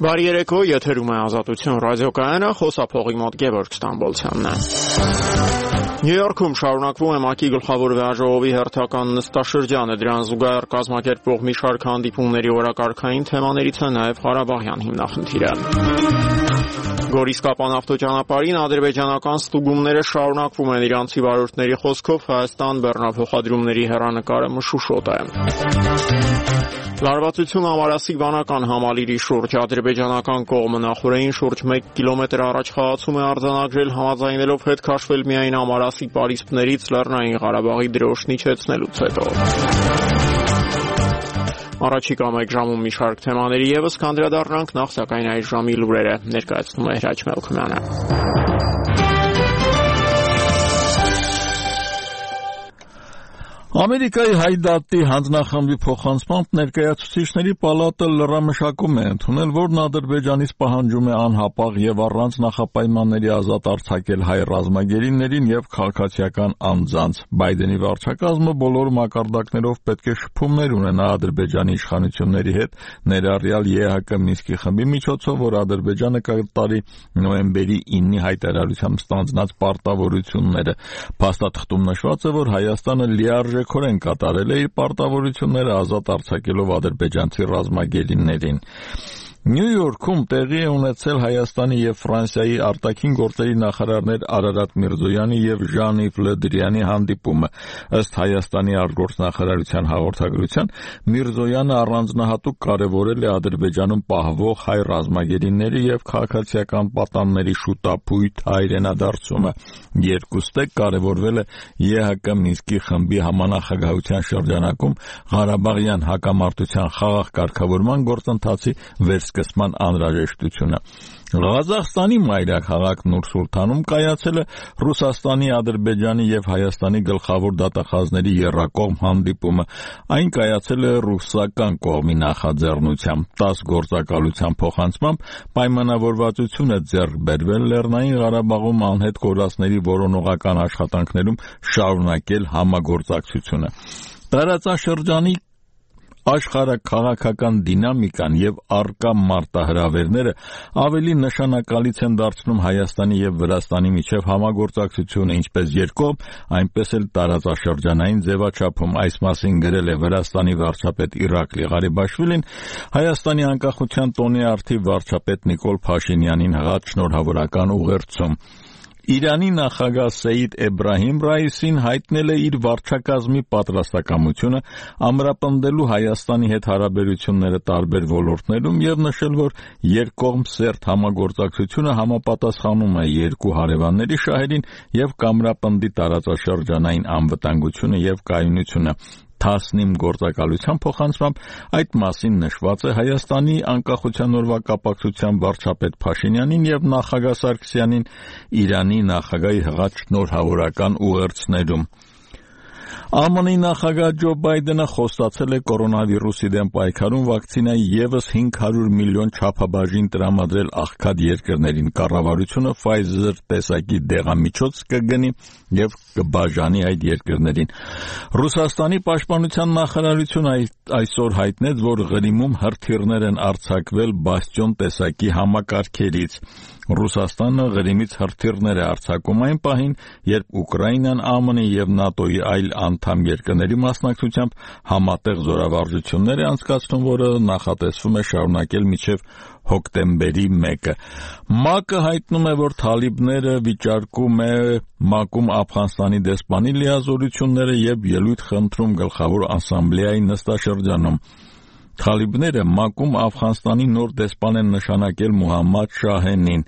Բարի երեկո, եթերում է Ազատություն ռադիոկայանը, խոսափողի մոտ Գևորգ Ստամբոլցյանն է։ Նյու Յորքում շարունակվում է ՄԱԿ-ի գլխավոր վեաժողովի հերթական նստաշրջանը, դրան զուգահեռ կազմակերպվող մի շարք հանդիպումների օրակարգային թեմաներից է նաև Ղարաբաղյան հիմնախնդիրը։ Գորիս-Կապան ավտոճանապարհին ադրբեջանական ստուգումները շարունակվում են, իրանցի վարորդների խոսքով Հայաստան բեռնափոխադրումների հեռանկարը մշուշոտ է։ Լարվածություն ամարասիկ վանական համալիրի շուրջ ադրբեջանական կողմը նախորդին շուրջ 1 կիլոմետր առաջ խաղացում է արձանագրել, համաձայնելով հետ քաշվել միայն ամարասիկ պարիսպներից Լեռնային Ղարաբաղի դրոշն իջեցնելուց հետո։ Առաջիկա մեկ ժամում մի շարք թեմաների ևս կանդրադառնանք, նախ սակայն այս ժամի լուրերը ներկայացնում է Հրաչ Մելքումյանը։ Ամերիկայի Հայդատի հանձնախմբի փոխանցմամբ ներկայացուցիչների պալատը լրամշակում է ընդունել, որն Ադրբեջանից պահանջում է անհապաղ եւ առանց նախապայմանների ազատ արձակել հայ ռազմագերիներին եւ քաղաքացիական անձանց։ Բայդենի վարչակազմը բոլոր մակարդակներով պետք է շփումներ ունենա Ադրբեջանի իշխանությունների հետ, ներառյալ ԵՀԿ Մինսկի խմբի միջոցով, որ Ադրբեջանը կատարի նոյեմբերի 9-ի հայտարարությամբ ստանձնած պարտավորությունները։ Փաստաթղթում նշված է, որ Հայաստանը լիարժեքորեն կատարել է իր պարտավորությունները ազատ արձակելով ադրբեջանցի ռազմագերիներին։ Նյու Յորքում տեղի է ունեցել Հայաստանի եւ Ֆրանսիայի արտաքին գործերի նախարարներ Արարատ Միրզոյանի եւ Ժան-Իվ Լը Դրյանի հանդիպումը։ Ըստ Հայաստանի արտգործնախարարության հաղորդագրության, Միրզոյանը առանձնահատուկ կարևորել է Ադրբեջանում պահվող հայ ռազմագերիների եւ քաղաքացիական պատանների շուտապույտ հայրենադարձումը։ Երկուստեք կարևորվել է ԵՀԿ Մինսկի խմբի համանախագահության շրջանակում Ղարաբաղյան հակամարտության խաղաղ կարգավորման գործընթացի վերսկսման անհրաժեշտությունը։ Ղազախստանի մայրաքաղաք Նուր-Սուլթանում կայացել է Ռուսաստանի, Ադրբեջանի եւ Հայաստանի գլխավոր դատախազների եռակողմ հանդիպումը։ Այն կայացել է ռուսական կողմի նախաձեռնությամբ։ 10 գործակալության փոխանցմամբ պայմանավորվածություն է ձեռք բերվել Լեռնային Ղարաբաղում անհետ կորածների որոնողական աշխատանքներում շարունակել համագործակցությունը։ Տարածաշրջանի աշխարհաքաղաքական դինամիկան եւ առկա մարտահրավերները ավելի նշանակալից են դարձնում Հայաստանի եւ Վրաստանի միջև համագործակցությունը ինչպես երկկողմ, այնպես էլ տարածաշրջանային ձևաչափում։ Այս մասին գրել է Վրաստանի վարչապետ Իրակլի Ղարիբաշվիլին Հայաստանի անկախության տոնի արդիվ վարչապետ Նիկոլ Փաշինյանին հղած շնորհավորական ուղերձում։ Իրանի նախագահ Սեյիդ Էբրահիմ Ռայիսին հայտնել է իր վարչակազմի պատրաստակամությունը ամրապնդելու Հայաստանի հետ հարաբերությունները տարբեր ոլորտներում եւ նշել, որ երկկողմ սերտ համագործակցությունը համապատասխանում է երկու հարևանների շահերին եւ կամրապնդի տարածաշրջանային անվտանգությունը եւ կայունությունը։ Թասնիմ գործակալության փոխանցմամբ այդ մասին նշված է Հայաստանի անկախության օրվա կապակցությամբ վարչապետ Փաշինյանին եւ նախագահ Սարգսյանին Իրանի նախագահի հղած շնորհավորական ուղերձներում։ ԱՄՆ-ի նախագահ Ջո Բայդենը խոստացել է կորոնավիրուսի դեմ պայքարում վակցինայի ևս 500 միլիոն չափաբաժին տրամադրել աղքատ երկրներին։ Կառավարությունը Pfizer տեսակի դեղամիջոց կգնի եւ կբաժանի այդ երկրներին։ Ռուսաստանի պաշտպանության նախարարությունը այսօր հայտնեց, որ Ղրիմում հրթիռներ են արձակվել Բաստիոն տեսակի համակարգերից։ Ռուսաստանը Ղրիմից հրթիռներ է արձակում այն պահին, երբ Ուկրաինան ԱՄՆ-ի եւ ՆԱՏՕ-ի այլ անդամ երկրների մասնակցությամբ համատեղ զորավարժություններ է անցկացնում, որը նախատեսվում է շարունակել մինչև հոկտեմբերի 1-ը։ ՄԱԿ-ը հայտնում է, որ թալիբները վիճարկում է ՄԱԿ-ում Աֆղանստանի դեսպանի լիազորությունները եւ ելույթ խնդրում գլխավոր ասամբլեայի նստաշրջանում։ Թալիբները ՄԱԿ-ում Աֆղանստանի նոր դեսպան են նշանակել Մուհամմադ Շահենին։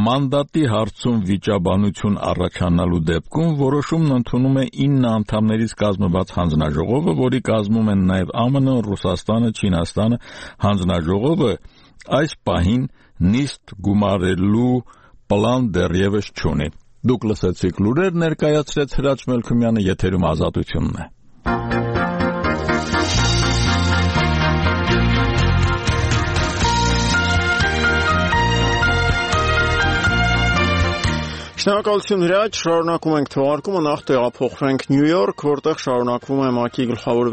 Մանդատի հարցում վիճաբանություն առաջանալու դեպքում որոշումն ընդունում է 9 անդամներից կազմված հանձնաժողովը, որի կազմում են նաև ԱՄՆ, Ռուսաստանը, Չինաստանը։ Հանձնաժողովը այս պահին նիստ գումարելու պլան դեռևս չունի։ Դուք լսեցիք լուրեր, ներկայացրեց Հրաչ Մելքումյանը, եթերում Ազատությունն է։ Շնորհակալություն Հրաչ, շարունակում ենք թողարկումը, նախ տեղափոխվենք Նյու Յորք, որտեղ շարունակվում է ՄԱԿ-ի գլխավոր